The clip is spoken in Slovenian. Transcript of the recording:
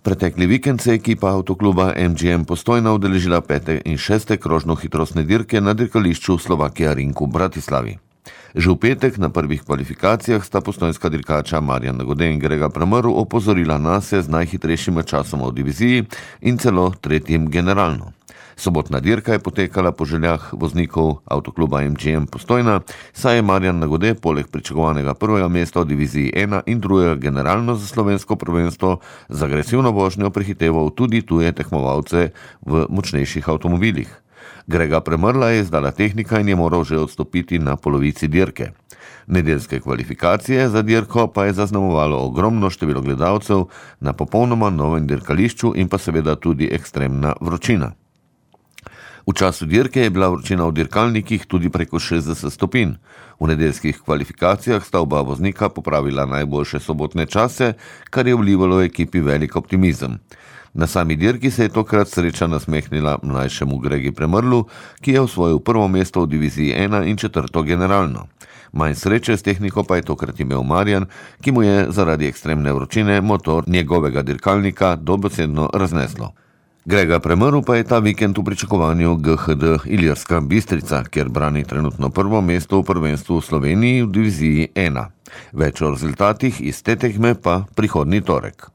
Pretekli vikend se je ekipa avtokluba MGM Postojna udeležila 5. in 6. krožno-hitrostne dirke na dirkališču Slovakia Ring v Bratislavi. Že v petek na prvih kvalifikacijah sta postojnska dirkača Marjan Nagode in Grega Premrl opozorila nase z najhitrejšima časoma v diviziji in celo tretjim generalno. Sobotna dirka je potekala po željah voznikov avtokluba MGM Postojna, saj je Marjan Nagode poleg pričakovanega prvega mesta v diviziji 1 in drugega generalno za slovensko prvenstvo z agresivno vožnjo prehiteval tudi tuje tekmovalce v močnejših avtomobilih. Grega Premrla je izdala tehnika in je moral že odstopiti na polovici dirke. Nedeljske kvalifikacije za dirko pa je zaznamovalo ogromno število gledalcev na popolnoma novem dirkališču in pa seveda tudi ekstremna vročina. V času dirke je bila vročina v dirkalnikih tudi preko 60 stopinj. V nedeljskih kvalifikacijah sta oba voznika popravila najboljše sobotne čase, kar je vlivalo ekipi velik optimizem. Na sami dirki se je tokrat sreča nasmehnila mlajšemu Gregi Premrlu, ki je osvojil prvo mesto v diviziji 1 in 4. generalno. Manj sreče s tehniko pa je tokrat imel Marjan, ki mu je zaradi ekstremne vročine motor njegovega dirkalnika dobesedno razneslo. Grega Premrl pa je ta vikend v pričakovanju GHD Ilirska Bistrica, kjer brani trenutno prvo mesto v prvenstvu v Sloveniji v diviziji 1. Več o rezultatih iz te tekme pa prihodnji torek.